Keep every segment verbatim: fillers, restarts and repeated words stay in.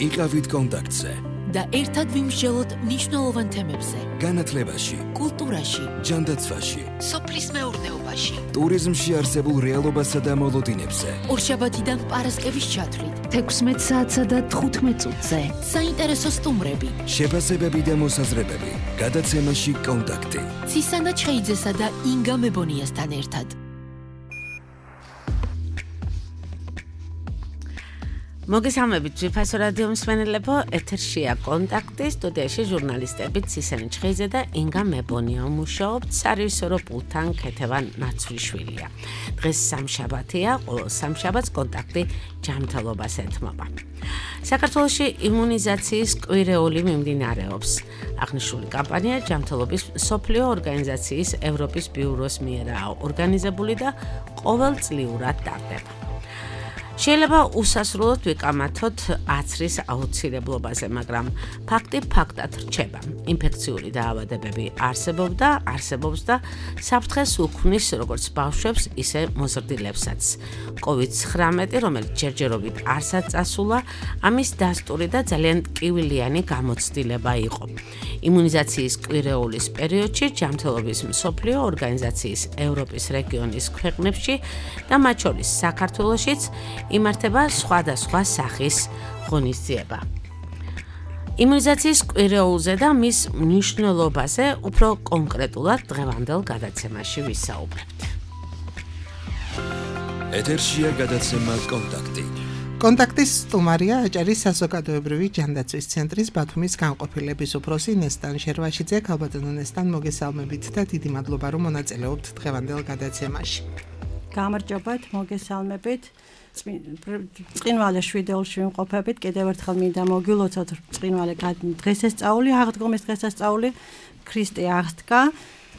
იყავით კონტაქტზე და ერთად ვიმსჯელოთ მნიშვნელოვან თემებზე. განათლებაში, კულტურაში, ჯანდაცვაში, სოფლის მეურნეობაში, ტურიზმში არსებულ რეალობასა და მოლოდინებზე. ორშაბათიდან პარასკევის ჩათვლით, თექვსმეტ საათსა და თხუთმეტ წუთზე. საინტერესო სტუმრები, შეფასებები და მოსაზრებები. გადაცემაში კონტაქტი. ცისანა ჩხეიძესა და ინგა მებონიასთან ერთად. მოგესალმებით ძვირფასო რადიო მსმენელებო, ეთერშია კონტაქტი, სტუდიაში ჟურნალისტები ცისანა ჩხეიძე და ინგა მებონია მუშაობთ, სარევისორო პულტთან ქეთევან ნაცვლიშვილია. დღეს სამშაბათია, ყოველ სამშაბათს კონტაქტი ჯანმრთელობას ეთმობა. საქართველოში იმუნიზაციის კვირეული მიმდინარეობს. აღნიშნული კამპანია ჯანმრთელობის მსოფლიო ორგანიზაციის ევროპის ბიუროს მიერაა ორგანიზებული და ყოველწლიურად ტარდება. შეიძლება უსასრულოდ ვიკამათოთ აცრის აუცილებლობაზე, მაგრამ ფაქტი ფაქტად რჩება. ინფექციური დაავადებები არსებობდა, არსებობს და საფრთხეს უქმნის როგორც ბავშვებს, ისე მოზრდილებსაც. კოვიდ ცხრამეტი, რომელიც ჯერჯერობით არსად წასულა, ამის დასტური და ძალიან ტკივილიანი გამოცდილება იყო. იმუნიზაციის კვირეულის პერიოდში ჯანმრთელობის მსოფლიო ორგანიზაციის ევროპის რეგიონის ქვეყნებში და მათ შორის საქართველოშიც იმართება სხვადასხვა სახის ღონისძიება. იმუნიზაციის კვირეულზე და მის მნიშვნელობაზე უფრო კონკრეტულად დღევანდელ გადაცემაში ვისაუბრებთ. ეთერშია გადაცემა კონტაქტი. კონტაქტის სტუმარია აჭარის საზოგადოებრივი ჯანდაცვის ცენტრის ბათუმის განყოფილების უფროსი ნესტან შერვაშიძე. ქალბატონო ნესტან, მოგესალმებით და დიდი მადლობა რომ მონაწილეობთ დღევანდელ გადაცემაში. გამარჯობათ, მოგესალმებით. წინვალე შვიდეულში ვიმყოფებით, კიდევ ერთხელ მინდა მოგილოცოთ წინვალე დღესასწაული, აღდგომის დღესასწაული, ქრისტე აღსდგა,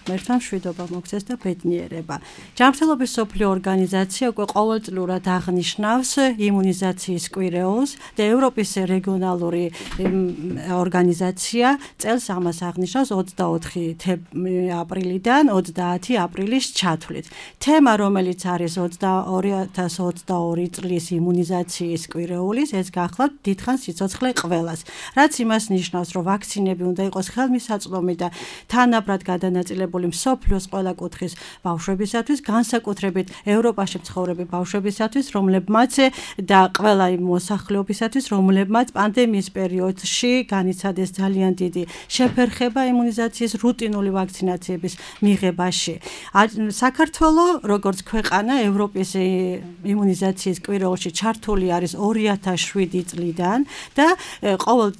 მერთმა მშვიდობა მოგცეს და ბედნიერება. ჯანმრთელობის მსოფლიო ორგანიზაცია უკვე ყოველწლიურად აღნიშნავს იმუნიზაციის კვირეულს და ევროპის რეგიონალური ორგანიზაცია წელს ამას აღნიშნავს ოცდაოთხი აპრილიდან ოცდაათი აპრილის ჩათვლით. თემა, რომელიც არის ორი ათას ოცდაორი წლის იმუნიზაციის კვირეულის, ეს გახლავთ დიდხანს სიცოცხლე ყველას. რაც იმას ნიშნავს, რომ ვაქცინები უნდა იყოს ხელმისაწვდომი და თანაბრად გადანაწილებული მსოფლიოს ყველა კუთხის ბავშვებისათვის, განსაკუთრებით ევროპაში მცხოვრები ბავშვებისათვის, რომლებმაც და ყველა იმ მოსახლეობისათვის, რომლებმაც პანდემიის პერიოდში განიცადეს ძალიან დიდი შეფერხება იმუნიზაციის რუტინული ვაქცინაციების მიღებაში. საქართველო, როგორც ქვეყანა, ევროპის იმუნიზაციის კვირეულში ჩართული არის ორი ათას შვიდი წლიდან და ყოველ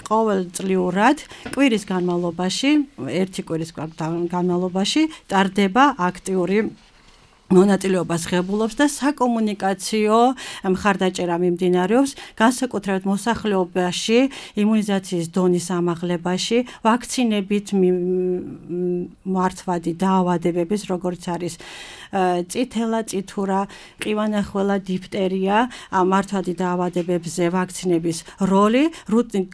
ყოველწლიურად კვირის განმავლობაში, ერთი კვირის განმავლობაში ტარდება აქტიური მონაწილეობას ღებულობს და საკომუნიკაციო მხარდაჭერა მიმდინარეობს, განსაკუთრებით მოსახლეობაში, იმუნიზაციის დონის ამაღლებაში, ვაქცინებით მართვადი დაავადებების, როგორც არის წითელა, წითურა, ყივანახველა, დიფტერია, მართვადი დაავადებებზე ვაქცინების როლი,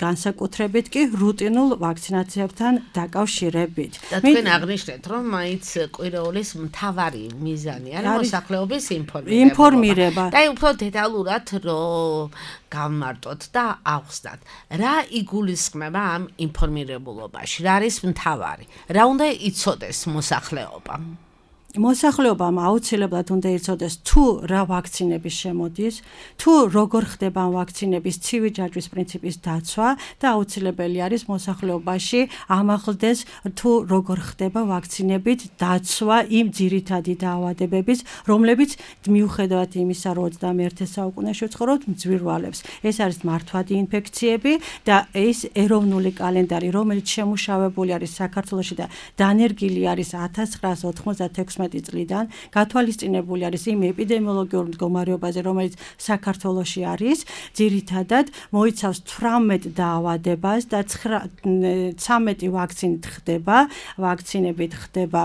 განსაკუთრებით კი რუტინულ ვაქცინაციებთან დაკავშირებით. და თქვენ აღნიშნეთ, რომ მაინც კვირეულის მთავარი მიზანი არის მოსახლეობის ინფორმირება. ინფორმირება. და უფრო დეტალურად რომ გავმარტოთ და ავხსნათ, რა იგულისხმება ამ ინფორმირებულობაში, რა არის მთავარი, რა უნდა იცოდეს მოსახლეობამ. მოსახლეობამ აუცილებლად უნდა იცოდეს თუ რა ვაქცინების შემოდის, თუ როგორ ხდება ვაქცინების ცივი ჯაჭვის პრინციპის დაცვა და აუცილებელი არის მოსახლეობაში ამაღლდეს თუ როგორ ხდება ვაქცინებით დაცვა იმ ძირითადი დაავადებების, რომლებიც მიუხედავად იმისა, რომ ოცდამეერთე საუკუნეში ვცხოვრობთ, მძვირვალებს. ეს არის მართვადი ინფექციები და ეს ეროვნული კალენდარი, რომელიც შემუშავებული არის საქართველოში და დანერგილი არის ათას ცხრაასა ოთხმოცდათექვსმეტი წლიდან, გათვალისწინებული არის იმ ეპიდემიოლოგიურ მდგომარეობაზე, რომელიც საქართველოში არის, ძირითადად მოიცავს თვრამეტ დაავადებას და ცხრამეტი ვაქცინით ხდება, ვაქცინებით ხდება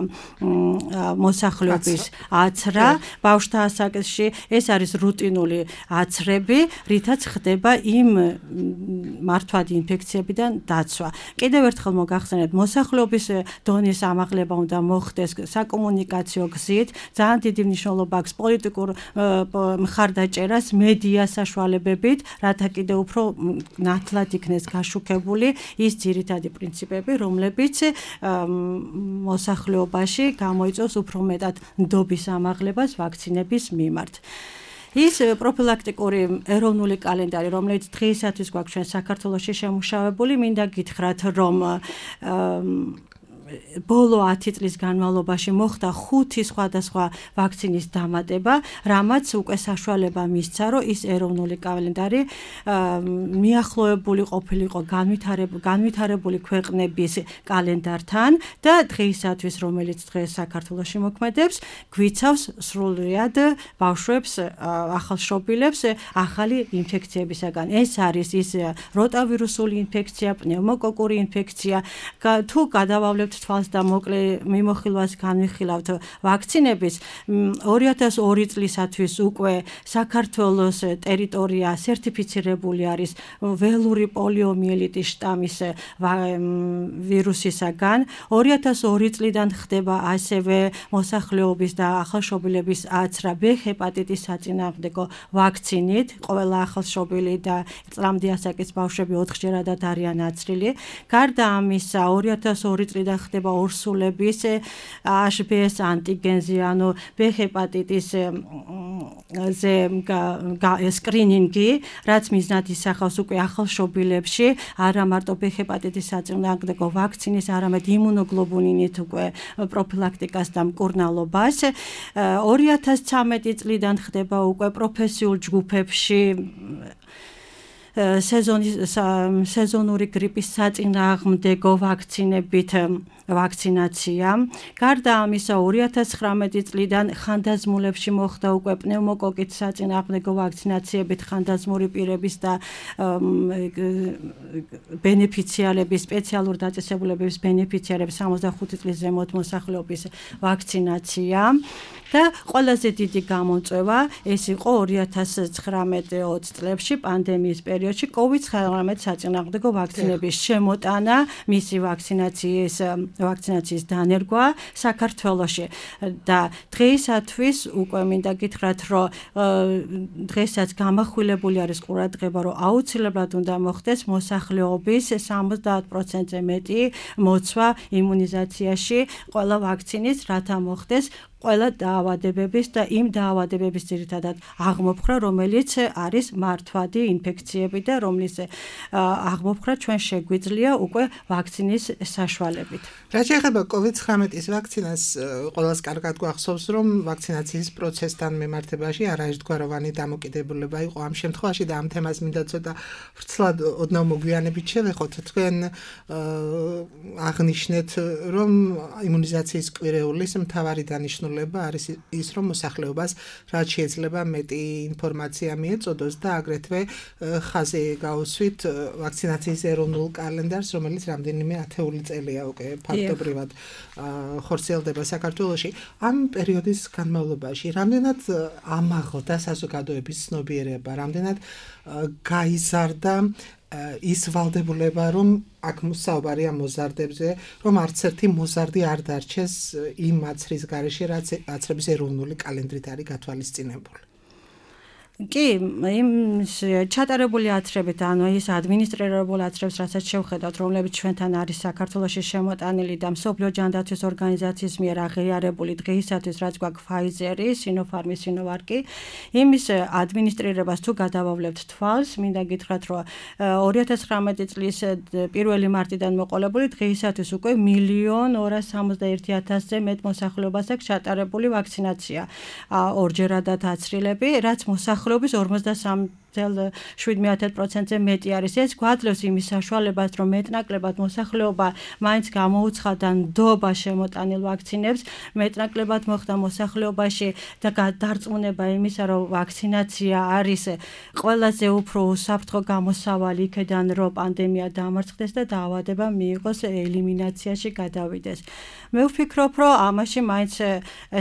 მოსახლეობის აცრა, ბავშვთა ასაკში, ეს არის რუტინული აცრები, რითაც ხდება იმ მართვადი ინფექციებიდან დაცვა. კიდევ ერთხელ მოგახსენებთ, მოსახლეობის დონის ამაღლება უნდა მოხდეს საკომუნიკაციო საკომუნიკაციო გზით, ძალიან დიდი მნიშვნელობა აქვს პოლიტიკურ მხარდაჭერას მედია საშუალებებით, რათა კიდევ უფრო ნათლად იქნეს გაშუქებული ის ძირითადი პრინციპები, რომლებიც მოსახლეობაში გამოიწვევს უფრო მეტად ნდობის ამაღლებას ვაქცინების მიმართ. ის პროფილაქტიკური ეროვნული კალენდარი, რომელიც დღეისათვის გვაქვს ჩვენ საქართველოში შემუშავებული, მინდა გითხრათ, რომ ბოლო ათი წლის განმავლობაში მოხდა ხუთი სხვადასხვა ვაქცინის დამატება, რამაც უკვე საშუალება მისცა, რომ ის ეროვნული კალენდარი მიახლოებული ყოფილიყო განვითარებული ქვეყნების კალენდართან და დღეისათვის, რომელიც დღეს საქართველოში მოქმედებს, გვიცავს სრულიად ბავშვებს, ახალშობილებს ახალი ინფექციებისაგან. ეს არის ის როტავირუსული ინფექცია, პნევმოკოკური ინფექცია, თუ გადავავლებთ თვალს და მოკლე მიმოხილვას განვიხილავთ ვაქცინების ორი ათას ორი წლისათვის უკვე საქართველოს ტერიტორია სერტიფიცირებული არის ველური პოლიომიელიტის შტამის ვირუსისაგან. ორი ათას ორი წლიდან ხდება ასევე მოსახლეობის და ახალშობილების აცრა ბ ჰეპატიტის საწინააღმდეგო ვაქცინით. ყველა ახალშობილი და წლამდე ასაკის ბავშვები ოთხჯერადად არიან აცრილი. გარდა ამისა, ორი ათას ორი წლიდან ხდება ორსულების ჰ ბ ეს ანტიგენზე, ანუ ბ ჰეპატიტის ზე სკრინინგი, რაც მიზნად ისახავს უკვე ახალშობილებში არა მარტო ბ ჰეპატიტის საწინააღმდეგო ვაქცინის, არამედ იმუნოგლობულინით უკვე პროფილაქტიკას და მკურნალობას. ორი ათას ცხრამეტი წლიდან ხდება უკვე პროფესიულ ჯგუფებში სეზონური გრიპის საწინააღმდეგო ვაქცინებით ვაქცინაცია. გარდა ამისა, ორი ათას ცხრამეტი წლიდან ხანდაზმულებში მოხდა უკვე პნევმოკოკით საწინააღმდეგო ვაქცინაციებით ხანდაზმული პირების და ბენეფიციარების, სპეციალურ დაწესებულებების ბენეფიციარების სამოცდახუთი წლის ზემოთ მოსახლეობის ვაქცინაცია. და ყველაზე დიდი გამოწვევა ეს იყო ორი ათას ცხრამეტი ოცი წლებში პანდემიის პერიოდში კოვიდ ცხრამეტ საწინააღმდეგო ვაქცინების შემოტანა, მისი ვაქცინაციის ვაქცინაციის დანერგვა საქართველოში და დღეისათვის უკვე მინდა გითხრათ, რომ დღესაც გამახვილებული არის ყურადღება, რომ აუცილებლად უნდა მოხდეს მოსახლეობის სამოცდაათ პროცენტზე მეტი მოცვა იმუნიზაციაში ყველა ვაქცინის, რათა მოხდეს ყველა დაავადებების და იმ დაავადებების ძირითადად აღმოფხვრა, რომელიც არის მართვადი ინფექციები და რომლის აღმოფხვრა ჩვენ შეგვიძლია უკვე ვაქცინის საშუალებით. რა შეეხება კოვიდ ცხრამეტის ვაქცინას, ყველას კარგად გვახსოვს, რომ ვაქცინაციის პროცესთან მიმართებაში არაერთგვაროვანი დამოკიდებულება იყო ამ შემთხვევაში და ამ თემას მინდა ცოტა ვრცლად ოდნავ მოგვიანებით შევეხოთ. თქვენ აღნიშნეთ, რომ იმუნიზაციის კვირეულის მთავარი დანიშნულება არის ის, რომ მოსახლეობას რაც შეიძლება მეტი ინფორმაცია მიეწოდოს და აგრეთვე ხაზი გაუსვით ვაქცინაციის ეროვნულ კალენდარს, რომელიც რამდენიმე ათეული წელია უკვე ფაქტობრივად ხორციელდება საქართველოში. ამ პერიოდის განმავლობაში რამდენად ამაღლდა საზოგადოების ცნობიერება, რამდენად გაიზარდა ის ვალდებულება, რომ აქ საუბარია მოზარდებზე, რომ არც ერთი მოზარდი არ დარჩეს იმ აცრის გარეშე, რაც აცრების ეროვნული კალენდრით არის გათვალისწინებული. კი, იმ ჩატარებული აცრებით, ანუ ის ადმინისტრირებულ აცრებს, რასაც შევხედავთ, რომლებიც ჩვენთან არის საქართველოში შემოტანილი და მსოფლიო ჯანდაცვის ორგანიზაციის მიერ აღიარებული დღეისათვის, რაც გვაქვს Pfizer-ი, Sinopharm-ი, Sinovac-ი, იმის ადმინისტრირებას თუ გადავავლებთ თვალს, მინდა გითხრათ, რომ ორი ათას ცხრამეტი წლის პირველი მარტიდან მოყოლებული დღეისათვის უკვე მილიონ ორას სამოცდაერთი ათასზე მეტ მოსახლეობას აქვს ჩატარებული ვაქცინაცია. ორჯერადად აცრილები, რაც მოსახლეობას ორმოცდასამი წელი შვიდ პროცენტზე მეტი არის. ეს გვაძლევს იმის საშუალებას, რომ მეტნაკლებად მოსახლეობა მაინც გამოუცხადა ნდობა შემოტანილ ვაქცინებს, მეტნაკლებად მოხდა მოსახლეობაში და დარწმუნება იმისა, რომ ვაქცინაცია არის ყველაზე უფრო უსაფრთხო გამოსავალი იქიდან, რომ პანდემია დამარცხდეს და დაავადება მიიღოს ელიმინაციაში გადავიდეს. მე ვფიქრობ, რომ ამაში მაინც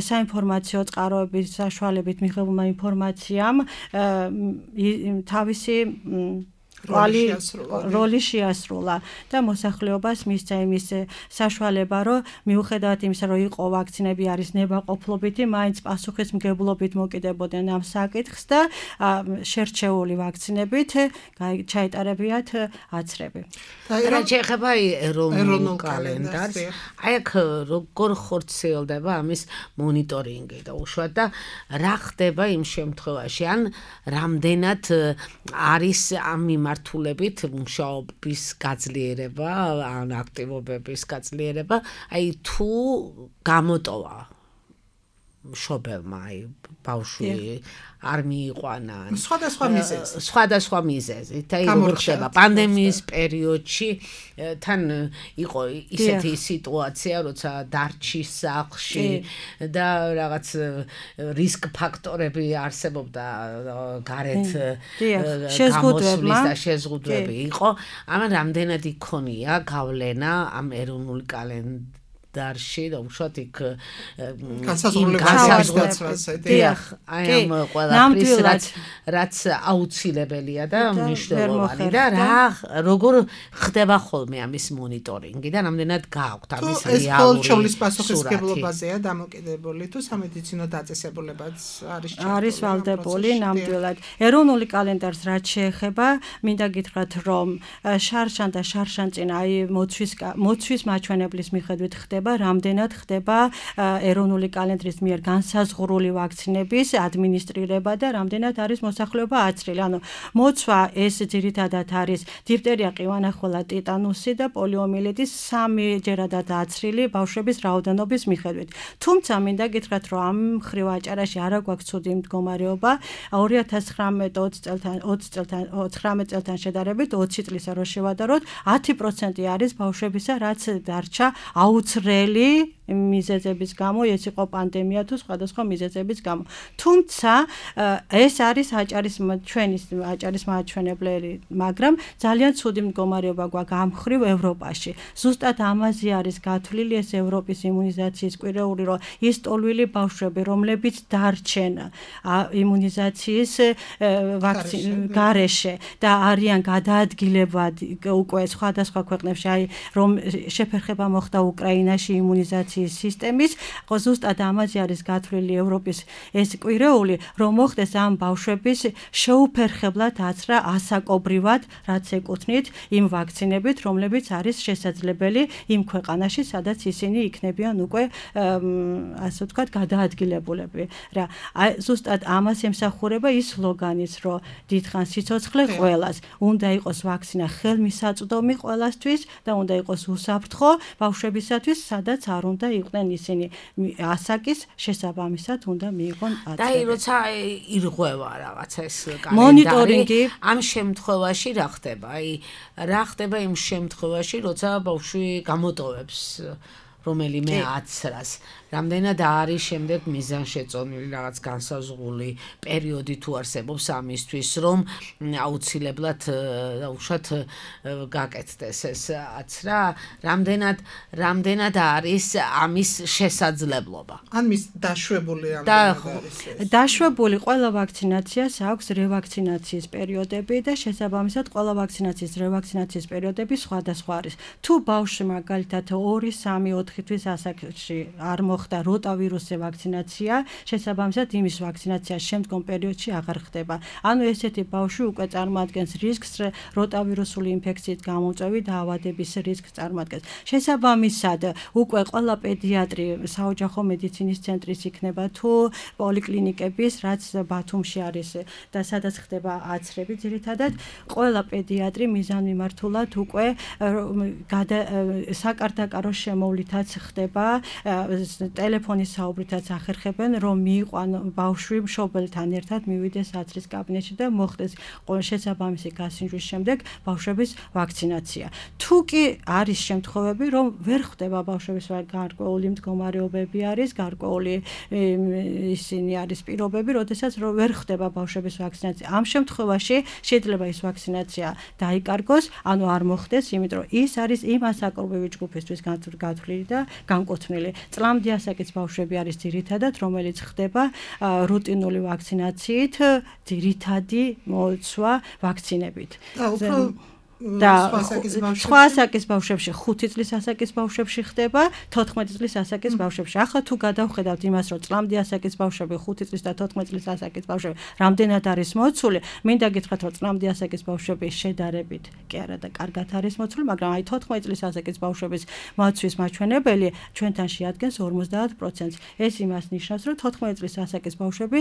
საინფორმაციო წყაროების საშუალებით მიღებულმა ინფორმაციამ თავისი როლი შეასრულა და მოსახლეობას მისცა იმის საშუალება, რომ მიუხედავად იმისა, რომ იყო ვაქცინები არის ნებაყოფლობითი, მაინც პასუხისმგებლობით მოკიდებოდნენ ამ საკითხს და შერჩეული ვაქცინებით ჩაეტარებიათ აცრები. რა შეეხება ეროვნულ კალენდარს, აი აქ როგორ ხორციელდება ამის მონიტორინგი და უშუალოდ და რა ხდება იმ შემთხვევაში, ან რამდენად არის ამ მიმართულებით მუშაობის გაძლიერება, ან აქტივობების გაძლიერება, აი თუ გამოტოვა მშობელმა აი ბავშვი არ მიიყვანა სხვადასხვა მიზეზი სხვადასხვა მიზეზი და როგორ ხდება პანდემიის პერიოდში თან იყო ისეთი სიტუაცია როცა დარჩის სახლში და რაღაც რისკ ფაქტორები არსებობდა გარეთ გამოსვლის და შეზღუდვები იყო ამან რამდენად იქონია გავლენა ამ ეროვნული კალენდარში დარში და უშუალოდ იქ განსაზღვრებაც დიახ აი ამ ყველაფრის რაც რაც აუცილებელია და მნიშვნელოვანი და რა როგორ ხდება ხოლმე ამის მონიტორინგი და რამდენად გააქვთ ამის რეალური ეს ყოველშობლის პასუხისმგებლობაზეა დამოკიდებული თუ სამედიცინო დაწესებულებაც არის არის ვალდებული ნამდვილად ეროვნული კალენდარს რაც შეეხება მინდა გითხრათ რომ შარშან და შარშანწინ აი მოცვის მოცვის მაჩვენებლის მიხედვით ხდება რამდენად ხდება ეროვნული კალენდრის მიერ განსაზღვრული ვაქცინების ადმინისტრირება და რამდენად არის მოსახლეობა აცრილი. ანუ მოცვა ეს ძირითადად არის დიფტერია, ყივანახელა, ტიტანუსი და პოლიომიელიტის სამჯერადად აცრილი ბავშვების რაოდენობის მიხედვით. თუმცა მინდა გითხრათ, რომ ამ მხრივ აჭარაში არ აქვს ცუდი მდგომარეობა. ორი ათას ცხრამეტ ოცდაათი წელთან შედარებით ოცი წლისა რო შევადაროთ, ათი პროცენტი არის ბავშვებისა, რაც დარჩა აუცილებელი მიზეზების გამო, ეს იყო პანდემია თუ სხვადასხვა მიზეზების გამო. თუმცა ეს არის აჭარის ჩვენის აჭარის მაჩვენებლები, მაგრამ ძალიან ცუდი მდგომარეობა გვაქვს ამ მხრივ ევროპაში. ზუსტად ამაზე არის გათვლილი ეს ევროპის იმუნიზაციის კვირეული, რომ ის ტოლვილი ბავშვები, რომლებიც დარჩენ იმუნიზაციის გარეშე და არიან გადაადგილებად უკვე სხვადასხვა ქვეყნებში, აი რომ შეფერხება მოხდა უკრაინაში იმუნიზაციის სისტემის, ხო ზუსტად ამაზე არის გათვლილი ევროპის ეს კვირეული, რომ მოხდეს ამ ბავშვების შეუფერხებლად აცრა ასაკობრივად, რაც ეკუთვნით იმ ვაქცინებით, რომლებიც არის შესაძლებელი იმ ქვეყანაში, სადაც ისინი იქნებიან უკვე ასე ვთქვათ გადაადგილებულები. რა, ზუსტად ამას ემსახურება ის სლოგანიც, რომ დიდხანს სიცოცხლე ყველას, უნდა იყოს ვაქცინა ხელმისაწვდომი ყველასთვის და უნდა იყოს უსაფრთხო ბავშვებისათვის, სადაც არ უნდა იყვნენ ისინი ასაკის შესაბამისად უნდა მიიღონ აცრები. და როცა ირღვევა რაღაცა ეს კალენდარი, ამ შემთხვევაში რა ხდება? აი რა ხდება იმ შემთხვევაში, როცა ბავშვი გამოტოვებს რომელიმე აცრას. რამდენად არის შემდეგ მიზანშეწონილი რაღაც განსაზღვრული პერიოდი თუ არსებობს ამისთვის, რომ აუცილებლად უშუალოდ გაკეთდეს ეს აცრა, რამდენად რამდენად არის ამის შესაძლებლობა. ან მის დაშვებული რამდენად არის. დაშვებული ყველა ვაქცინაციას აქვს რევაქცინაციის პერიოდები და შესაბამისად ყველა ვაქცინაციის რევაქცინაციის პერიოდები სხვადასხვა არის. თუ ბავშვი მაგალითად ორი, სამი, ოთხი თვის ასაკში არ და როტავირუსზე ვაქცინაცია, შესაბამისად იმის ვაქცინაცია შემდგომ პერიოდში აღარ ხდება. ანუ ესეთი ბავშვი უკვე წარმოადგენს რისკს როტავირუსული ინფექციით გამოწვევი დაავადების რისკს წარმოადგენს. შესაბამისად, უკვე ყველა პედიატრი საოჯახო მედიცინის ცენტრის იქნება თუ პოლიკლინიკების, რაც ბათუმში არის და სადაც ხდება აცრები ძირითადად, ყველა პედიატრი მიზანმიმართულად უკვე საკარდაკარო შემოვლითაც ხდება ტელეფონის საუბრითაც ახერხებენ, რომ მიიყვან ბავშვი მშობელთან ერთად მივიდეს აცრის კაბინეტში და მოხდეს შესაბამისი გასინჯვის შემდეგ ბავშვების ვაქცინაცია. თუ კი არის შემთხვევები, რომ ვერ ხდება ბავშვების გარკვეული მდგომარეობები არის, გარკვეული ისინი არის პირობები, როდესაც ვერ ხდება ბავშვების ვაქცინაცია. ამ შემთხვევაში შეიძლება ის ვაქცინაცია დაიკარგოს, ანუ არ მოხდეს, იმიტომ რომ ის არის იმ ასაკობრივი ჯგუფისთვის გათვლილი და განკუთვნილი. წლამდე ასაკის ბავშვები არის ძირითადად, რომელიც ხდება რუტინული ვაქცინაციით, ძირითადი მოცვა ვაქცინებით. და უფრო და სხვა ასაკის ბავშვებში ხუთი წლის ასაკის ბავშვებში ხდება, თოთხმეტი წლის ასაკის ბავშვებში. ახლა თუ გადავხედავთ იმას, რომ წლამდე ასაკის ბავშვები, ხუთი წლის და თოთხმეტი წლის ასაკის ბავშვები რამდენად არის მოცული, მინდა გითხრათ, რომ წლამდე ასაკის ბავშვები შედარებით კი არა და კარგად არის მოცული, მაგრამ აი თოთხმეტი წლის ასაკის ბავშვების მოცვის მაჩვენებელი ჩვენთან შეადგენს ორმოცდაათ პროცენტს. ეს იმას ნიშნავს, რომ თოთხმეტი წლის ასაკის ბავშვები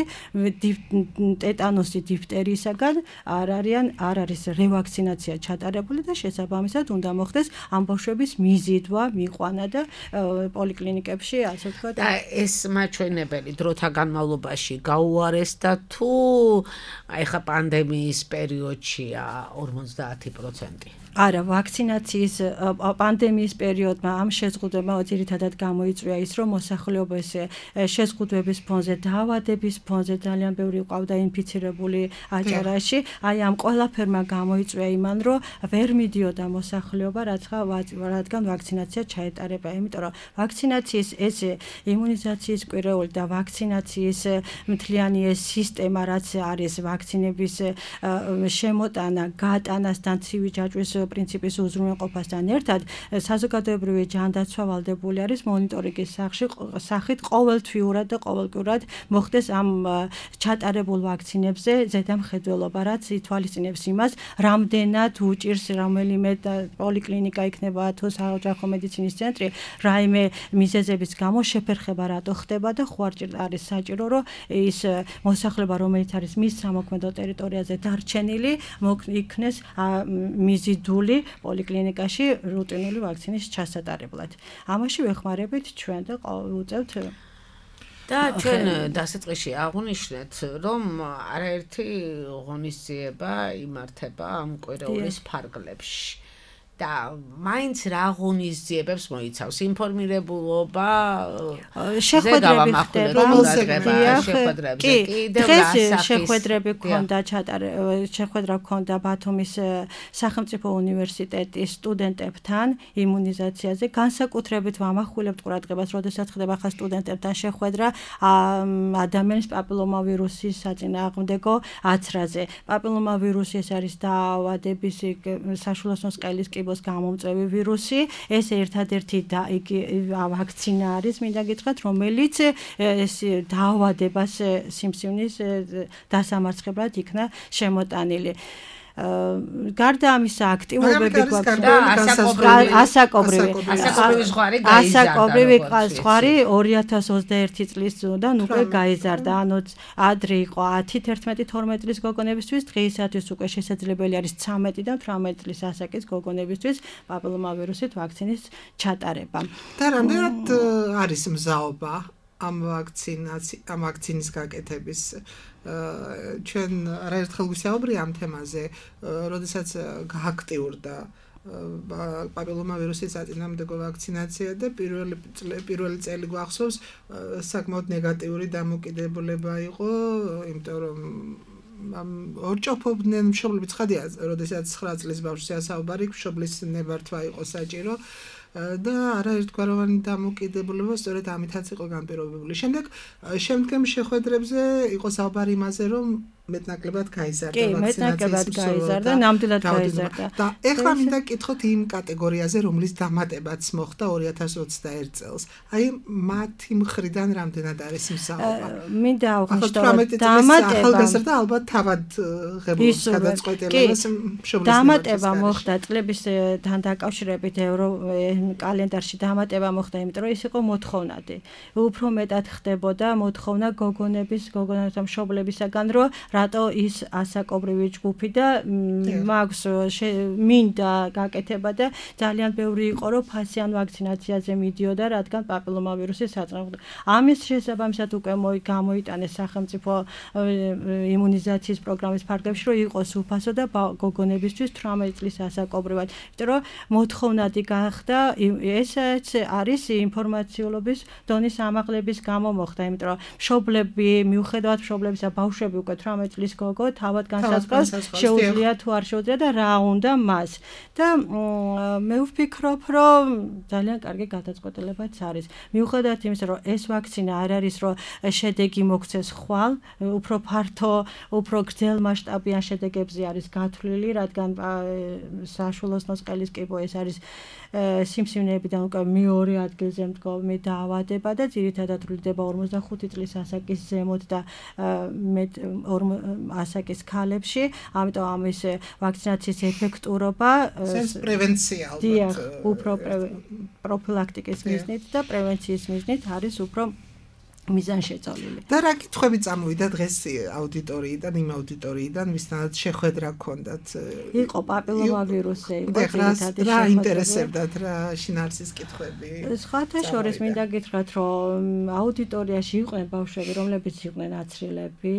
ტეტანოსი, დიფტერიისაგან არ არიან, არ არის რევაქცინაცია ჩატარებული და შესაბამისად უნდა მოხდეს ამ ბავშვების მიზიდვა, მიყვანა და პოლიკლინიკებში, ასე ვთქვათ. და ეს მაჩვენებელი დროთა განმავლობაში გაუარესდა თუ აი ხა პანდემიის პერიოდშია ორმოცდაათი პროცენტი? არა, ვაქცინაციის პანდემიის პერიოდმა ამ შეზღუდვებმა ძირითადად გამოიწვია ის, რომ მოსახლეობის შეზღუდვების ფონზე, დაავადების ფონზე ძალიან ბევრი ყავდა ინფიცირებული აჭარაში. აი ამ ყველაფერმა გამოიწვია იმან, რომ ვერ მიდიოდა მოსახლეობა, რადგან ვაქცინაცია ჩაეტარება. იმიტომ რომ ვაქცინაციის ეს იმუნიზაციის კვირეული და ვაქცინაციის მთლიანი ეს სისტემა, რაც არის ვაქცინების შემოტანა, გატანასთან, ცივი ჯაჭვის პრინციპის უზრუნველყოფასთან ერთად საზოგადოებრივი ჯანდაცვა ვალდებული არის მონიტორინგის სახით ყოველთვიურად და ყოველკვირად მოხდეს ამ ჩატარებულ ვაქცინებზე ზედამხედველობა, რაც ითვალისწინებს იმას, რამდენად უჭირს რომელიმე პოლიკლინიკა იქნება თუ საოჯახო მედიცინის ცენტრი, რაიმე მიზეზების გამო შეფერხება რატო ხდება და ხო არ არის საჭირო, რომ ის მოსახლეობა, რომელიც არის მის სამოქმედო ტერიტორიაზე დარჩენილი, იქნეს მიზიდული პოლიკლინიკაში რუტინული ვაქცინის ჩასატარებლად. ამაში ვეხმარებით ჩვენ და ვუწევთ და ჩვენ დასაწყისში აღვნიშნეთ, რომ არაერთი ღონისძიება იმართება ამ კვირეულის ფარგლებში. და მაინც რა ღონისძიებებს მოიცავს ინფორმირებულობა, შეხვედრები ხდება, შეხვედრებზე კიდევ დღეს შეხვედრები ქონდა ჩატარ შეხვედრა ქონდა ბათუმის სახელმწიფო უნივერსიტეტის სტუდენტებთან იმუნიზაციაზე, განსაკუთრებით ვამახვილებთ ყურადღებას, როდესაც ხდება ხა სტუდენტებთან შეხვედრა ადამიანის პაპილომავირუსის საწინააღმდეგო აცრაზე. პაპილომავირუსი ეს არის დაავადების საშუალო სყელის კიბოს გამომწვევი ვირუსი, ეს ერთადერთი და იგი ვაქცინა არის, მინდა გითხრათ, რომელიც ეს დაავადებას სიმსივნის დასამარცხებლად იქნა შემოტანილი. გარდა ამისა აქტიურობები გვაქვს ასაკობრივი ასაკობრივი ზღვარი ორი ათას ოცდაერთი წლის წლიდან უკვე გაიზარდა, ანუ ადრე იყო ათი, თერთმეტი, თორმეტი წლის გოგონებისთვის, დღეისათვის უკვე შესაძლებელი არის ცამეტი და თვრამეტი წლის ასაკის გოგონებისთვის პაპილომავირუსით ვაქცინის ჩატარება. და რამდენად არის მზაობა ამ ვაქცინაცი ამ ვაქცინის გაკეთების? ჩვენ არაერთხელ ვისაუბრე ამ თემაზე, როდესაც გააქტიურდა პაპილომავირუსის საწინააღმდეგო ვაქცინაცია და პირველი პირველი წელი გვახსოვს, საკმაოდ ნეგატიური დამოკიდებულება იყო, იმიტომ რომ ორჭოფობდნენ მშობლები, ცხადია, როდესაც ცხრა წლის ბავშვზე ასაუბარი, მშობლის ნებართვა იყო საჭირო. და არაერთგვაროვანი დამოკიდებულება სწორედ ამითაც იყო განპირობებული. შემდეგ შემდგომ შეხვედრებზე იყო საუბარი იმაზე, რომ მეტნაკლებად გაიზარდა ვაქცინაციის მეტნაკლებად გაიზარდა, ნამდვილად გაიზარდა. და ეხლა მინდა გითხოთ იმ კატეგორიაზე, რომლის დამატებაც მოხდა ორი ათას ოცდაერთი წელს. აი მათი მხრიდან რამდენად არის მსაუბარი? მინდა აღვნიშნო, დამატება ახალგაზრდა ალბათ თავად ღებულობს გადაწყვეტილებას მშობლის დამატება მოხდა წლებისთან დაკავშირებით ევრო კალენდარში დამატება მოხდა, იმიტომ რომ ის იყო მოთხოვნადი. უფრო მეტად ხდებოდა მოთხოვნა გოგონების, გოგონებთა მშობლებისაგან, რომ რატო ის ასაკობრივი ჯგუფი და მაქვს მინდა გაკეთება და ძალიან ბევრი იყო, რომ ფასიან ვაქცინაციაზე მიდიოდა, რადგან პაპილომავირუსის საწინააღმდეგო. ამის შესაბამისად უკვე გამოიტანეს სახელმწიფო იმუნიზაციის პროგრამის ფარგლებში, რომ იყოს უფასო და გოგონებისთვის თვრამეტი წლის ასაკობრივად. იმიტომ რომ მოთხოვნადი გახდა, ესეც არის ინფორმაციულობის დონის ამაღლების გამო მოხდა, იმიტომ რომ მშობლები, მიუხედავად მშობლებისა, ბავშვები უკვე თვრამეტი ოცდამეტ წლის გოგო თავად განსაზღვრავს შეუძლია თუ არ შეუძლია და რა უნდა მას. და მე ვფიქრობ, რომ ძალიან კარგი გადაწყვეტილებაც არის. მიუხედავად იმისა, რომ ეს ვაქცინა არ არის, რომ შედეგი მოგცეს ხვალ, უფრო ფართო, უფრო გრძელ მასშტაბიან შედეგებზე არის გათვლილი, რადგან საშუალო ნოსყელის კიბო ეს არის სიმსივნეებიდან უკვე მეორე ადგილზე მდგომი დაავადება და ძირითადად ვრცელდება ორმოცდახუთი წლის ასაკის ზემოთ და მეტ ასაკის ქალებში, ამიტომ ამის ვაქცინაციის ეფექტურობა ეს პრევენცია ალბათ უფრო პროფილაქტიკის მიზნით და პრევენციის მიზნით არის უფრო მიზანშეწონილი. და რა კითხვები წამოვიდა დღეს აუდიტორიიდან, იმ აუდიტორიიდან, ვისთანაც შეხვედრა ჰქონდათ? იყო პაპილომავირუსი, იყო ძირითადად რა ინტერესებდათ, რა შინაარსის კითხვები? სხვათა შორის მინდა გითხრათ, რომ აუდიტორიაში იყვნენ ბავშვები, რომლებიც იყვნენ აცრილები.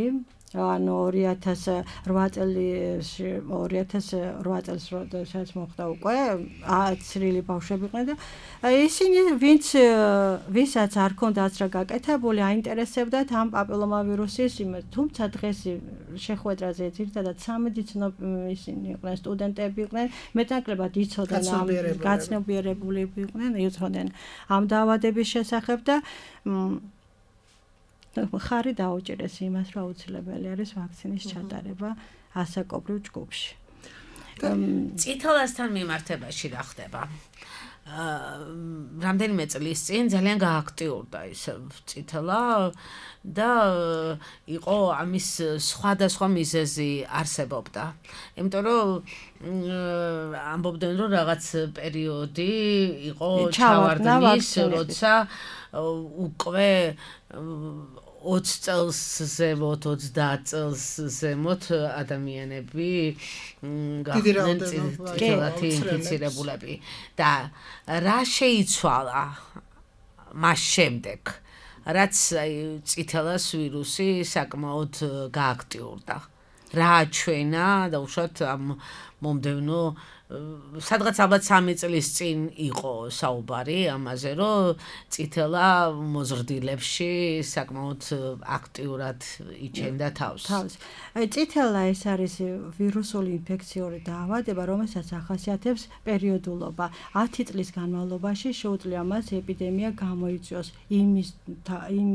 ანუ ორი ათას რვა წელს ორი ათას რვა წელს როდესაც მოხდა უკვე აცრილი ბავშვები იყვნენ და ისინი ვინც ვისაც არ ქონდა აცრა გაკეთებული აინტერესებდათ ამ პაპილომავირუსის იმას, თუმცა დღეს შეხვედრაზე ძირითადად სამედიცინო ისინი იყვნენ, სტუდენტები იყვნენ, მეტნაკლებად იცოდნენ ამ გაცნობიერებული იყვნენ, იცოდნენ ამ დაავადების შესახებ და ხარი დაუჭირეს იმას, რომ აუცილებელი არის ვაქცინის ჩატარება ასაკობრივ ჯგუფში. წითელასთან მიმართებაში რა ხდება? რამდენიმე წლის წინ ძალიან გააქტიურდა ის წითელა და იყო ამის სხვადასხვა მიზეზი არსებობდა. იმიტომ რომ ამბობდნენ რომ რაღაც პერიოდი იყო ჩავარდნის, როცა უკვე ოცი წელს ზემოთ, ოცდაათ წელს ზემოთ ადამიანები გახდნენ წითელათი ინფიცირებულები და რა შეიცვალა მას შემდეგ, რაც წითელას ვირუსი საკმაოდ გააქტიურდა. რა აჩვენა და უშუალოდ ამ მომდევნო სადღაც ალბათ სამი წლის წინ იყო საუბარი ამაზე, რომ წითელა მოზრდილებში საკმაოდ აქტიურად იჩენდა თავს. თავს. აი წითელა ეს არის ვირუსული ინფექციური დაავადება, რომელსაც ახასიათებს პერიოდულობა. ათი წლის განმავლობაში შეუძლია მას ეპიდემია გამოიწვიოს იმის იმ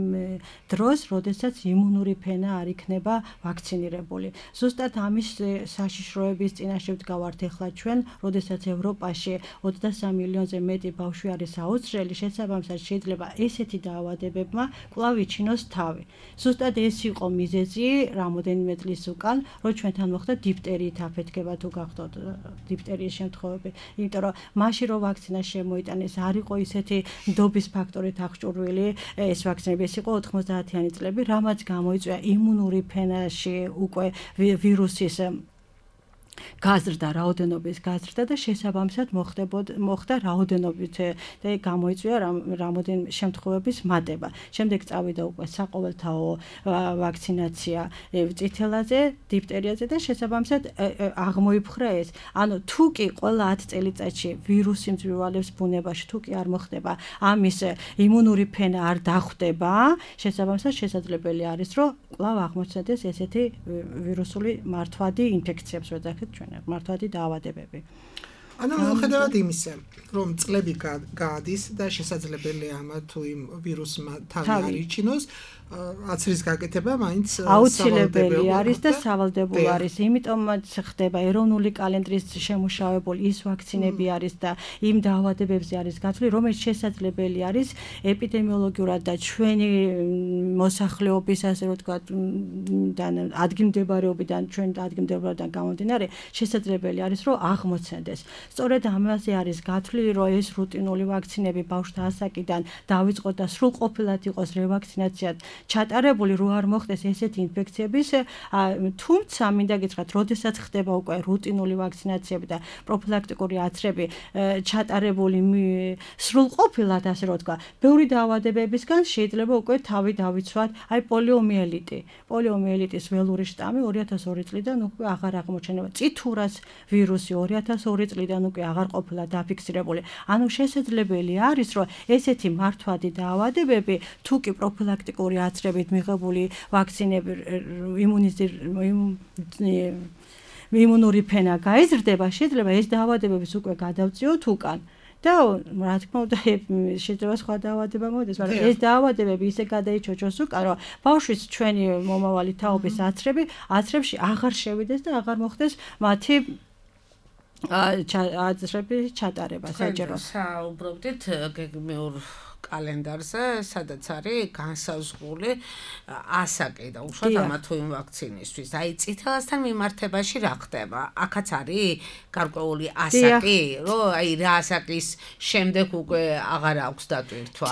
დროს, როდესაც იმუნური ფენა არ იქნება ვაქცინირებული. ზუსტად ამის საშიშროების წინაშე ვდგავართ ახლა ჩვენ, როდესაც ევროპაში ოცდასამი მილიონზე მეტი ბავშვი არის აუცრელი, შესაბამისად შეიძლება ესეთი დაავადებებმა კვლავ იჩინოს თავი. ზუსტად ეს იყო მიზეზი რამოდენიმე წლის უკან, რომ ჩვენთან მოხდა დიფტერიით აფეთქება თუ გახდოთ დიფტერიის შემთხვევები. იმიტომ რომ მაშინ რომ ვაქცინა შემოიტანეს, არ იყო ისეთი ნდობის ფაქტორით აღჭურვილი ეს ვაქცინები, ეს იყო ოთხმოცდაათიანი წლები, რამაც გამოიწვია იმუნური ფენაში უკვე ვირუსის გაზრდა, რაოდენობის გაზრდა და შესაბამისად მოხდა რაოდენობით და გამოიწვია რამოდენიმე შემთხვევების მატება. შემდეგ წავიდა უკვე საყოველთაო ვაქცინაცია წითელაზე, დიფტერიაზე და შესაბამისად აღმოიფხვრა ეს. ანუ თუ კი ყველა ათი წელიწადში ვირუსი მძვირვალებს ბუნებაში, თუ კი არ მოხდება ამის იმუნური ფენა არ დახვდება, შესაბამისად შესაძლებელი არის, რომ კვლავ აღმოჩნდეს ესეთი ვირუსული მართვადი ინფექციებს ვეძახით ჩვენ მართვადი დაავადებები. ანუ მიუხედავად იმისა, რომ წლები გაადის და შესაძლებელია ამა თუ იმ ვირუსმა თავი არ იჩინოს, აცრის გაკეთება მაინც აუცილებელი არის და სავალდებულო არის. იმიტომაც ხდება ეროვნული კალენდრის შემუშავებული ის ვაქცინები არის და იმ დაავადებებზე არის გათვლილი, რომელიც შესაძლებელი არის ეპიდემიოლოგიურად და ჩვენი მოსახლეობის, ასე რომ ვთქვათ, ადგილმდებარეობიდან, ჩვენ ადგილმდებარეობიდან გამომდინარე, შესაძლებელი არის, რომ აღმოცენდეს. სწორედ ამაზე არის გათვლილი, რომ ეს რუტინული ვაქცინები ბავშვთა ასაკიდან დავიწყოთ და სრულყოფილად იყოს რევაქცინაცია ჩატარებული, რო არ მოხდეს ესეთი ინფექციების, თუმცა მინდა გითხრათ, როდესაც ხდება უკვე რუტინული ვაქცინაციები და პროფილაქტიკური აცრები ჩატარებული სრულყოფილად, ასე რომ ვთქვა, ბევრი დაავადებებისგან შეიძლება უკვე თავი დავიცვათ, აი პოლიომიელიტი. პოლიომიელიტის ველური შტამი ორი ათას ორი წლიდან უკვე აღარ აღმოჩნდება. წითურას ვირუსი ორი ათას ორი წლიდან წლიდან უკვე აღარ ყოფილა დაფიქსირებული. ანუ შესაძლებელი არის, რომ ესეთი მართვადი დაავადებები თუ კი პროფილაქტიკური აცრებით მიღებული ვაქცინები იმუნური ფენა გაიზრდება, შეიძლება ეს დაავადებების უკვე გადავწიოთ უკან. და რა თქმა უნდა შეიძლება სხვა დაავადება მოდის, მაგრამ ეს დაავადებები ისე გადაიჩოჩოს უკან, რომ ბავშვის ჩვენი მომავალი თაობის აცრები აცრებში აღარ შევიდეს და აღარ მოხდეს მათი აცრები ჩატარება საჯარო. საუბრობდით გეგმიურ კალენდარზე, სადაც არის განსაზღვრული ასაკი და უშუალოდ ამა თუ იმ ვაქცინისთვის. აი წითელასთან მიმართებაში რა ხდება? აქაც არის გარკვეული ასაკი, რომ აი რა ასაკის შემდეგ უკვე აღარ აქვს დატვირთვა.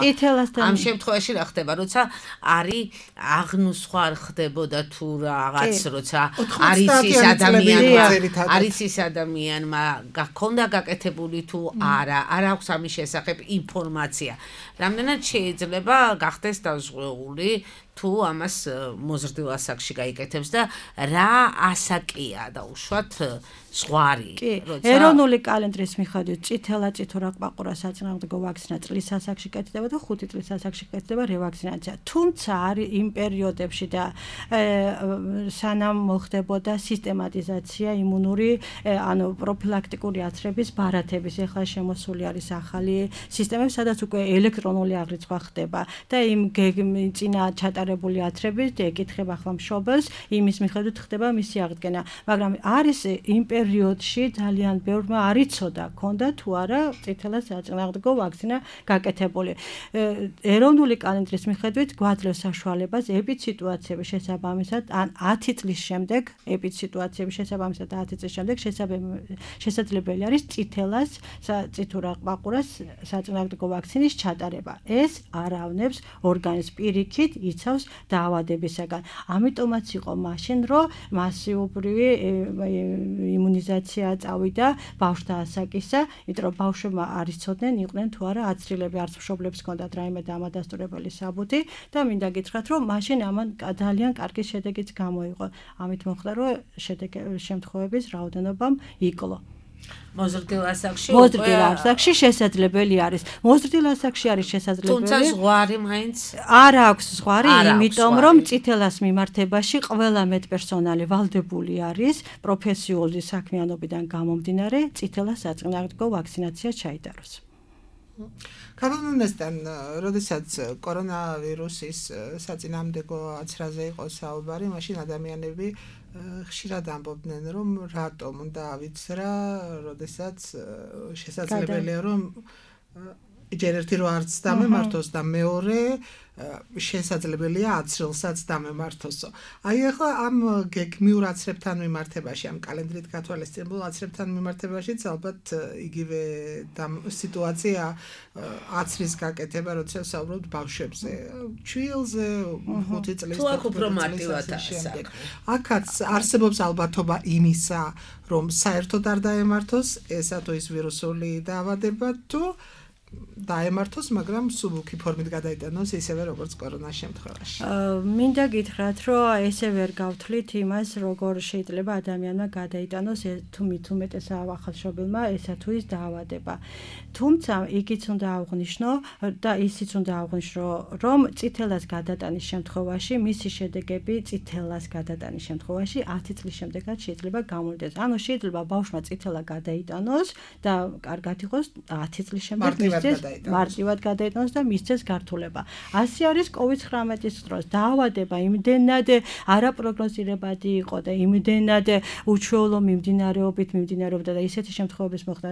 ამ შემთხვევაში რა ხდება, როცა არის აღნუსხვა ხდებოდა თუ რაღაც, როცა არის ის ადამიანმა, არის ის ადამიანმა გაქონდა გაკეთებული თუ არა, არ აქვს ამის შესახებ ინფორმაცია. რამდენად შეიძლება გახდეს დაზღვეული თუ ამას მოზრდილ ასაკში გაიკეთებს და რა ასაკია და უშუალოდ ზღვარი, როცა ეროვნული კალენდრის მიხედვით წითელა წითურა ყვაყურა საწინააღმდეგო ვაქცინა წლის ასაკში კეთდება და ხუთი წლის ასაკში კეთდება რევაქცინაცია. თუმცა არის იმ პერიოდებში და სანამ მოხდებოდა სისტემატიზაცია იმუნური, ანუ პროფილაქტიკური აცრების ბარათების, ეხლა შემოსული არის ახალი სისტემები, სადაც უკვე ელექტრონული აღრიცხვა ხდება და იმ წინა ჩატარებული აცრების ეკითხება ახლა მშობელს, იმის მიხედვით ხდება მისი აღდგენა, მაგრამ არის იმ პერიოდში ძალიან ბევრმა არ იცოდა, ქონდა თუ არა წითელა საწინააღმდეგო ვაქცინა გაკეთებული. ეროვნული კალენდრის მიხედვით გვაძლევს საშუალებას ეპიდსიტუაციების შესაბამისად, ან ათი წლის შემდეგ, ეპიდსიტუაციების შესაბამისად ათი წლის შემდეგ შესაძლებელი არის წითელას წითურა ყვაყურას საწინააღმდეგო ვაქცინის ჩატარება. ეს არავნებს ორგანიზმს პირიქით იცავს დაავადებისაგან. ამიტომაც იყო მაშინ, რომ მასიურობრივი იმუნიზაცია წავიდა ბავშვთა ასაკისა, იმიტომ რომ ბავშვებმა არ იცოდნენ, იყვნენ თუ არა აცრილები, არც მშობლებს ჰქონდათ რაიმე დამადასტურებელი საბუთი და მინდა გითხრათ, რომ მაშინ ამან ძალიან კარგი შედეგიც გამოიღო. ამით მოხდა, რომ შემთხვევების რაოდენობამ იკლო. მოზრდილ ასაკში მოზრდილ ასაკში შესაძლებელი არის. მოზრდილ ასაკში არის შესაძლებელი. თუმცა ზღვარი მაინც არ აქვს ზღვარი, იმიტომ რომ წითელას მიმართებაში ყველა მედპერსონალი ვალდებული არის პროფესიული საქმიანობიდან გამომდინარე წითელას საწინააღმდეგო ვაქცინაცია ჩაიტაროს. კანონესთან, როდესაც კორონავირუსის საწინააღმდეგო აცრაზე იყო საუბარი, მაშინ ადამიანები ხშირად ამბობდნენ, რომ რატომ უნდა ავიცრა, როდესაც შესაძლებელია, რომ ჯერ ერთი რო არც დამემართოს და მეორე შესაძლებელია აცრილსაც დამემართოსო. აი ახლა ამ გეგმიურ აცრებთან მიმართებაში, ამ კალენდრით გათვალისწინებულ აცრებთან მიმართებაშიც ალბათ იგივე სიტუაცია აცრის გაკეთება, როცა საუბრობთ ბავშვებზე, ჩვილზე, ხუთი წლის თუ აქ უფრო მარტივადაა საქმე. აქაც არსებობს ალბათობა იმისა, რომ საერთოდ არ დაემართოს ესა თუ ის ვირუსული დაავადება თუ დაემართოს, მაგრამ სუბუქი ფორმით გადაიტანოს ისევე როგორც კორონას შემთხვევაში. მინდა გითხრათ, რომ ესე ვერ გავთვლით იმას, როგორ შეიძლება ადამიანმა გადაიტანოს თუ მით უმეტეს ახალშობილმა ესა თუ ის დაავადება. თუმცა იქიც უნდა აღვნიშნო და ისიც უნდა აღვნიშნო, რომ წითელას გადატანის შემთხვევაში მისი შედეგები წითელას გადატანის შემთხვევაში ათი წლის შემდეგაც შეიძლება გამოვიდეს. ანუ შეიძლება ბავშვმა წითელა გადაიტანოს და კარგად იყოს ათი წლის შემდეგ მარტივად გადაიტანოს და მისცეს გართულება. ასე არის კოვიდ ცხრამეტის დროს. დაავადება იმდენად არაპროგნოზირებადი იყო და იმდენად უჩვეულო მიმდინარეობით მიმდინარეობდა და ისეთი შემთხვევების მოხდა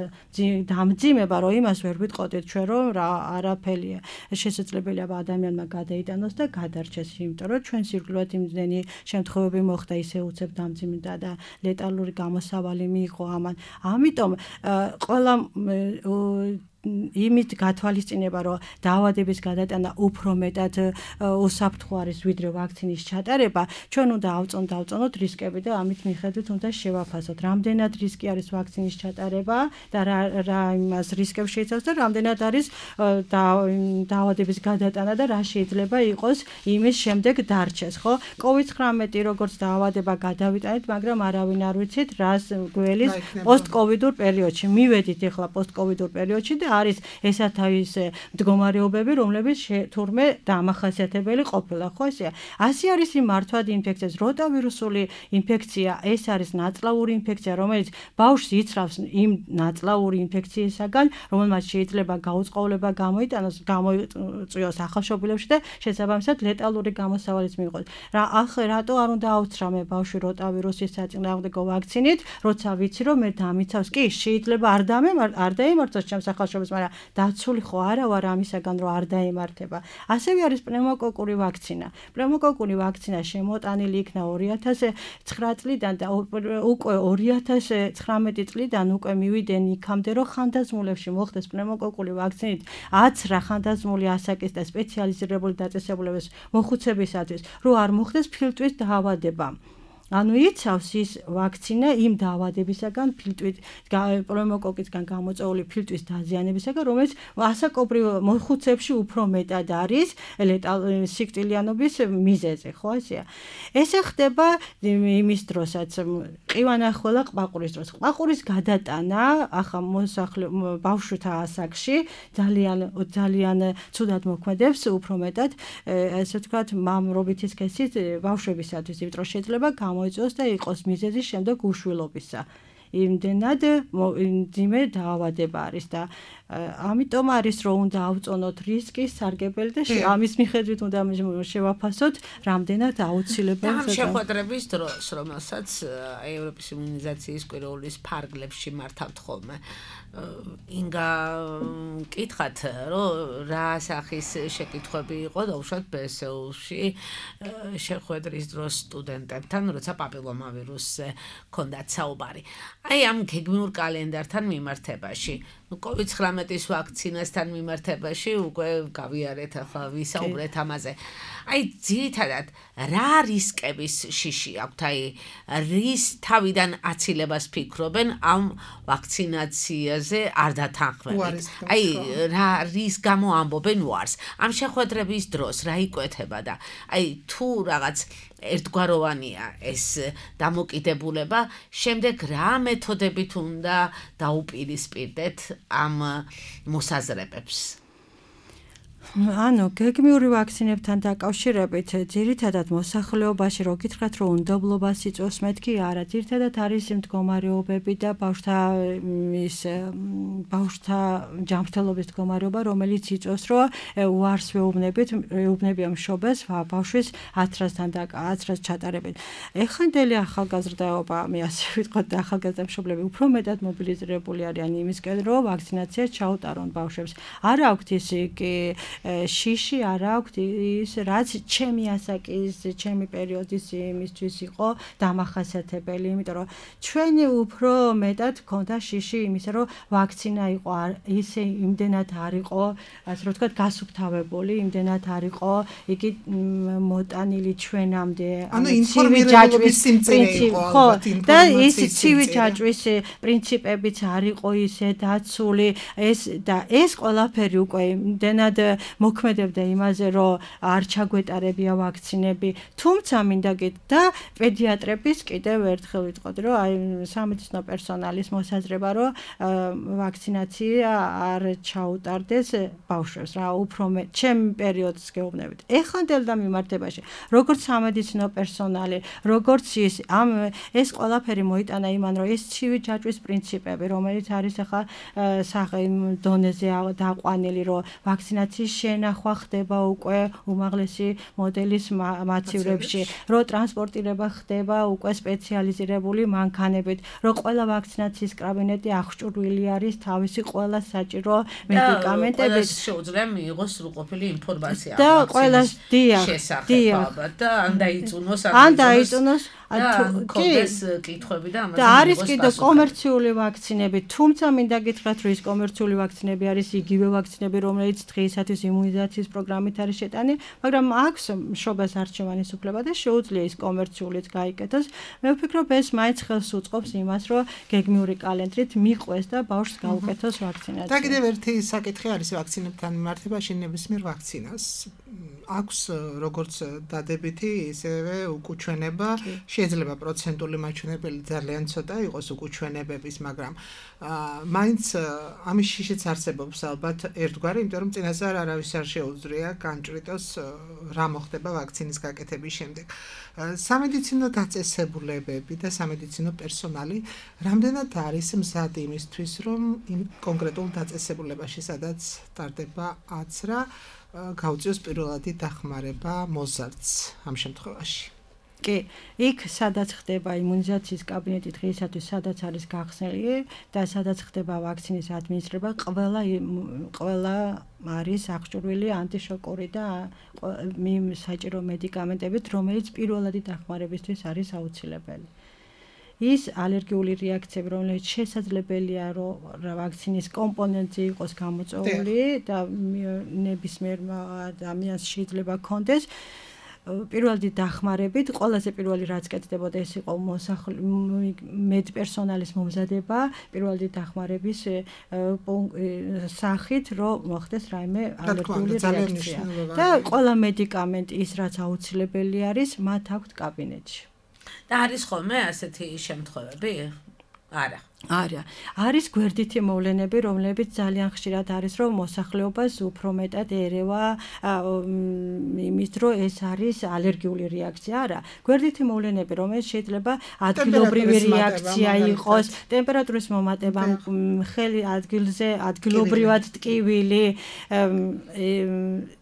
დამძიმება, რომ იმას ვერ ვიტყოდით ჩვენ, რომ რა არაფერია შესაძლებელია ადამიანმა გადაიტანოს და გადარჩეს, იმიტომ რომ ჩვენ სირგლივად იმდენი შემთხვევები მოხდა, ისე უცებ დამძიმდა და ლეტალური გამოსავალი მიიღო ამან. ამიტომ ყველა იმით გათვალისწინება, რომ დაავადების გადატანა უფრო მეტად უსაფრთხო არის ვიდრე ვაქცინის ჩატარება, ჩვენ უნდა ავწონ დავწონოთ რისკები და ამით მიხედვით უნდა შევაფასოთ, რამდენად რისკი არის ვაქცინის ჩატარება და რა რა იმას რისკებს შეიცავს და რამდენად არის დაავადების გადატანა და რა შეიძლება იყოს იმის შემდეგ დარჩეს, ხო? კოვიდ ცხრამეტი როგორც დაავადება გადავიტანეთ, მაგრამ არავინ არ ვიცით რას გველის პოსტკოვიდურ პერიოდში. მივედით ახლა პოსტკოვიდურ პერიოდში და არის ესათავისე მდგომარეობები, რომლებიც თურმე დამახასიათებელი ყოფილა, ხო ესეა. ასე არის იმ მართვადი ინფექციას, როტავირუსული ინფექცია, ეს არის ნაწლავური ინფექცია, რომელიც ბავშვს იცრავს იმ ნაწლავური ინფექციისაგან, რომელმაც შეიძლება გაუწყლობა გამოიტანოს, გამოიწვიოს ახალშობილებში და შესაბამისად ლეტალური გამოსავალიც მიიღოს. რა ახლა რატო არ უნდა აუცრამე ბავშვი როტავირუსის საწინააღმდეგო ვაქცინით, როცა ვიცი რომ მე დამიცავს, კი შეიძლება არ დამემარ არ დაემართოს ჩემს ახალშობილს, მაგრამ დაცული ხო არა ვარ ამისაგან რომ არ დაემართება. ასევე არის პნევმოკოკური ვაქცინა. პნევმოკოკური ვაქცინა შემოტანილი იქნა ორი ათას ცხრა წლიდან და უკვე ორი ათას ცხრამეტი წლიდან უკვე მივიდნენ იქამდე რომ ხანდაზმულებში მოხდეს პნევმოკოკული ვაქცინით აცრა ხანდაზმული ასაკის და სპეციალიზირებული დაწესებულების მოხუცებისათვის, რომ არ მოხდეს ფილტვის დაავადება. ანუ იცავს ის ვაქცინა იმ დაავადებისაგან, ფილტვით პნევმოკოკისგან გამოწვეული ფილტვის დაზიანებისაგან, რომელიც ასაკობრივ მოხუცებში უფრო მეტად არის სიკვდილიანობის მიზეზი, ხო ასეა. ესე ხდება იმის დროსაც, ყივანახველა ყბაყურის დროს. ყბაყურის გადატანა ახლა მოსახლე ბავშვთა ასაკში ძალიან ძალიან ცუდად მოქმედებს, უფრო მეტად ესე ვთქვათ, მამრობითი სქესით ბავშვებისათვის, იმიტომ რომ შეიძლება გამოიწვიოს და იყოს მიზეზი შემდეგ უშვილობისა. იმდენად მძიმე დაავადება არის და ამიტომ არის რომ უნდა ავწონოთ რისკი სარგებელი და ამის მიხედვით უნდა შევაფასოთ რამდენად აუცილებელია ამ შეხვედრების დროს, რომელსაც ევროპის იმუნიზაციის კვირაულის ფარგლებში მართავთ ხოლმე. ინგა კითხათ, რომ რა სახის შეკითხვები იყო დაუშვათ ბე ეს ე-ში შეხვედრის დროს სტუდენტებთან, როცა პაპილომავირუსზე ჰქონდათ საუბარი. აი ამ გეგმიურ კალენდართან მიმართებაში, ნუ კოვიდ ცხრამეტის ვაქცინასთან მიმართებაში უკვე გავიარეთ, ახლა ვისაუბრეთ ამაზე. აი ძირითადად რა რისკების შიში აქვთ, აი რის თავიდან აცილებას ფიქრობენ ამ ვაქცინაციაზე არ დათანხმებით. აი რა რის გამო ამბობენ უარს. ამ შეხვედრების დროს რა იკვეთება და აი თუ რაღაც ერთგვაროვანია ეს დამოკიდებულება, შემდეგ რა მეთოდებით უნდა დაუპირისპირდეთ ამ მოსაზრებებს? ანუ გეგმიური ვაქცინებთან დაკავშირებით ძირითადად მოსახლეობაში რო გითხრათ რომ უნდობლობას იწვევს, მეთქი არა, ძირითადად არის მდგომარეობები და ბავშვთა ის ბავშვთა ჯანმრთელობის მდგომარეობა, რომელიც იწვევს რომ უარს ვეუბნებით, ვეუბნებიან მშობელს ბავშვის აცრასთან და აცრას ჩატარებით. ეხანდელი ახალგაზრდაობა, მე ასე ვიტყოდ, ახალგაზრდა მშობლები უფრო მეტად მობილიზირებული არიან იმისკენ, რომ ვაქცინაცია ჩაუტარონ ბავშვებს. არ აქვთ ის კი შიში არ აქვთ ის რაც ჩემი ასაკის, ჩემი პერიოდის იმისთვის იყო დამახასიათებელი, იმიტომ რომ ჩვენი უფრო მეტად ქონდა შიში იმისა, რომ ვაქცინა იყო ისე იმდენად არ იყო, ასე რომ ვთქვათ, გასუფთავებული, იმდენად არ იყო იგი მოტანილი ჩვენამდე, ანუ ინფორმირებების სიმწირე იყო ალბათ, და ის ცივი ჯაჭვის პრინციპებიც არ იყო ისე დაცული, ეს და ეს ყველაფერი უკვე იმდენად მოქმედებდა იმაზე, რომ არ ჩაგვეტარებია ვაქცინები, თუმცა მინდა გეთ და პედიატრების კიდევ ერთხელ ვიტყოდი, რომ აი სამედიცინო პერსონალის მოსაზრება, რომ ვაქცინაცია არ ჩაუტარდეს ბავშვებს, რა უფრო მე ჩემ პერიოდს გეუბნებით. ეხანდელ და მიმართებაში, როგორც სამედიცინო პერსონალი, როგორც ის ამ ეს ყველაფერი მოიტანა იმან, რომ ეს ცივი ჯაჭვის პრინციპები, რომელიც არის ახლა საყიმ დონეზე დაყვანილი, რომ ვაქცინაციის შენახვა ხდება უკვე უმაღლესი მოდელის მაცივრებში, რომ ტრანსპორტირება ხდება უკვე სპეციალიზირებული მანქანებით, რომ ყველა ვაქცინაციის კაბინეტი აღჭურვილი არის თავისი ყველა საჭირო მედიკამენტებით. შეუძლია მიიღოს სრულყოფილი ინფორმაცია და ყველას დიახ, დიახ და ან დაიწუნოს ან დაიწუნოს კონდეს კითხვები და ამაზე და არის კიდევ კომერციული ვაქცინები, თუმცა მინდა გითხრათ, რომ ის კომერციული ვაქცინები არის იგივე ვაქცინები, რომელიც დღეისათვის იმუნიზაციის პროგრამით არის შეტანილი, მაგრამ აქვს მშობელს არჩევანის უფლება და შეუძლია ის კომერციულიც გაიკეთოს. მე ვფიქრობ, ეს მაინც ხელს უწყობს იმას, რომ გეგმიური კალენდრით მიყვეს და ბავშვს გაუკეთოს ვაქცინაცია. და კიდევ ერთი საკითხი არის ვაქცინებთან მიმართებაში ნებისმიერ ვაქცინას. აქვს როგორც დადებითი, ისევე უკუჩვენება, შეიძლება პროცენტული მაჩვენებელი ძალიან ცოტა იყოს უკუჩვენებების, მაგრამ მაინც ამის შიშიც არსებობს ალბათ ერთგვარი, იმიტომ რომ წინასწარ არავის არ შეუძლია განჭრიტოს რა მოხდება ვაქცინის გაკეთების შემდეგ. სამედიცინო დაწესებულებები და სამედიცინო პერსონალი რამდენად არის მზად იმისთვის, რომ იმ კონკრეტულ დაწესებულებაში, სადაც ტარდება აცრა, გაუწიოს პირველადი დახმარება მოზარდს ამ შემთხვევაში. კი, იქ სადაც ხდება იმუნიზაციის კაბინეტი დღეისათვის, სადაც არის გახსნილი და სადაც ხდება ვაქცინის ადმინისტრება, ყველა ყველა არის აღჭურვილი ანტიშოკური და საჭირო მედიკამენტებით, რომელიც პირველადი დახმარებისთვის არის აუცილებელი. ის ალერგიული რეაქციები, რომელიც შესაძლებელია, რომ ვაქცინის კომპონენტი იყოს გამოწვეული და ნებისმიერ ადამიანს შეიძლება ჰქონდეს, პირველადი დახმარებით, ყველაზე პირველი რაც კეთდებოდა, ეს იყო მედპერსონალის მომზადება, პირველადი დახმარების სახით, რომ მოხდეს რაიმე ალერგიული რეაქცია. და ყველა მედიკამენტი ის, რაც აუცილებელი არის, მათ აქვთ კაბინეტში. და არის ხოლმე ასეთი შემთხვევები? არა. არა. არის გვერდითი მოვლენები, რომლებიც ძალიან ხშირად არის, რომ მოსახლეობას უფრო მეტად ერევა იმის, რომ ეს არის ალერგიული რეაქცია. არა. გვერდითი მოვლენები, რომელიც შეიძლება ადგილობრივი რეაქცია იყოს, ტემპერატურის მომატება, ხელი ადგილზე, ადგილობრივად ტკივილი,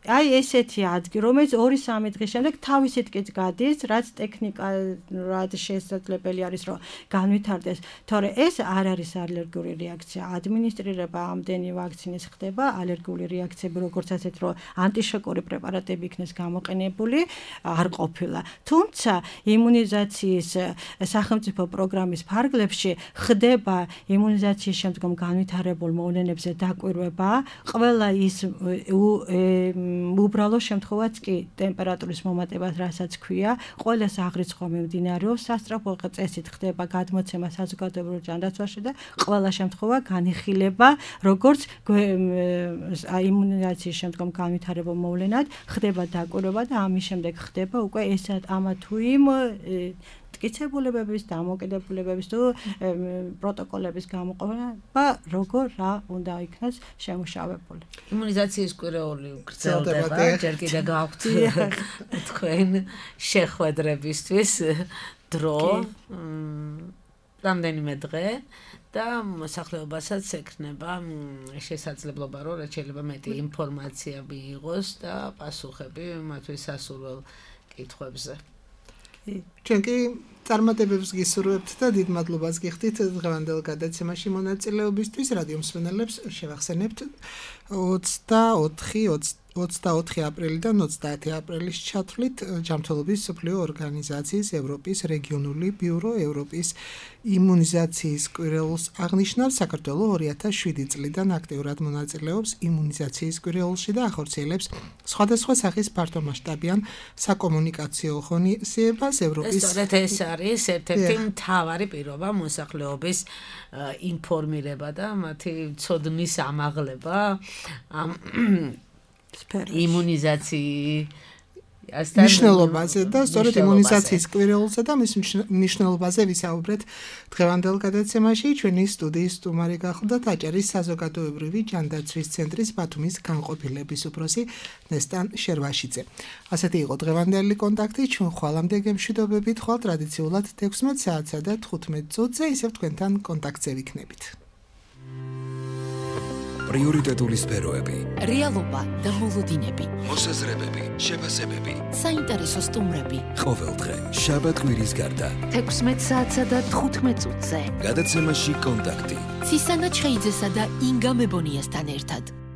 აი ესეთი ადგილი, რომელიც ორი სამი დღის შემდეგ თავისით კი გადის, რაც ტექნიკურად შესაძლებელი არის, რომ განვითარდეს. თორე ეს არ არის ალერგიული რეაქცია. ადმინისტრირება ამდენი ვაქცინის ხდება, ალერგიული რეაქციები, როგორც ასეთ, რომ ანტიშოკური პრეპარატები იქნეს გამოყენებული, არ ყოფილა. თუმცა იმუნიზაციის სახელმწიფო პროგრამის ფარგლებში ხდება იმუნიზაციის შემდგომ განვითარებულ მოვლენებზე დაკვირვება, ყველა ის უბრალო შემთხვევაც კი ტემპერატურის მომატებას, რასაც ქვია, ყველას აღრიცხვა მიმდინარეობს, სასწრაფო წესით ხდება გადმოცემა საზოგადოებრივ ჯანდაცვაში და ყველა შემთხვევა განიხილება, როგორც იმუნიზაციის შემდგომ განვითარებულ მოვლენად, ხდება დაკვირვება და ამის შემდეგ ხდება უკვე ეს ამა თუ იმ მტკიცებულებების, დამოკიდებულებების თუ პროტოკოლების გამოყენება, როგორ რა უნდა იქნას შემუშავებული. იმუნიზაციის კვირეული გრძელდება, ჯერ კიდევ გაქვთ თქვენ შეხვედრებისთვის დრო, რამდენიმე დღე და მოსახლეობასაც ექნება შესაძლებლობა, რომ შეიძლება მეტი ინფორმაცია მიიღოს და პასუხები მათთვის სასურველ კითხვებზე. ჩვენ კი წარმატებებს გისურვებთ და დიდ მადლობას გიხდით დღევანდელ გადაცემაში მონაწილეობისთვის. რადიო მსმენელებს შევახსენებთ ოცდაოთხი აპრილიდან ოცდაათი აპრილის ჩათვლით ჯანმრთელობის მსოფლიო ორგანიზაციის ევროპის რეგიონული ბიურო ევროპის იმუნიზაციის კვირეულს აღნიშნავს. საქართველოს ორი ათას შვიდი წლიდან აქტიურად მონაწილეობს იმუნიზაციის კვირეულში და ახორციელებს სხვადასხვა სახის ფართომასშტაბიან საკომუნიკაციო ღონისძიებას ევროპის. ეს არის ერთ-ერთი მთავარი პირობა მოსახლეობის ინფორმირება და მათი ცოდნის ამაღლება ამ იმუნიზაციის მნიშვნელობაზე და სწორედ იმუნიზაციის კვირეულსა და მის მნიშვნელობაზე ვისაუბრეთ დღევანდელ გადაცემაში. ჩვენი სტუდიის სტუმარი გახლდათ აჭარის საზოგადოებრივი ჯანდაცვის ცენტრის ბათუმის განყოფილების უფროსი ნესტან შერვაშიძე. ასეთი იყო დღევანდელი კონტაქტი. ჩვენ ხვალამდე გემშვიდობებით, ხვალ ტრადიციულად ექვსმეტ საათსა და თხუთმეტ წუთზე ისევ თქვენთან კონტაქტზე ვიქნებით. პრიორიტეტული სფეროები, რეალობა და მოლოდინები, მოსაზრებები, შეფასებები, საინტერესო სტუმრები. ყოველდღე შაბათ-კვირის გარდა ექვსმეტ საათსა და თხუთმეტ წუთზე. გადაცემაში კონტაქტი. ცისანა ჩხეიძესა და ინგა მებონიასთან ერთად.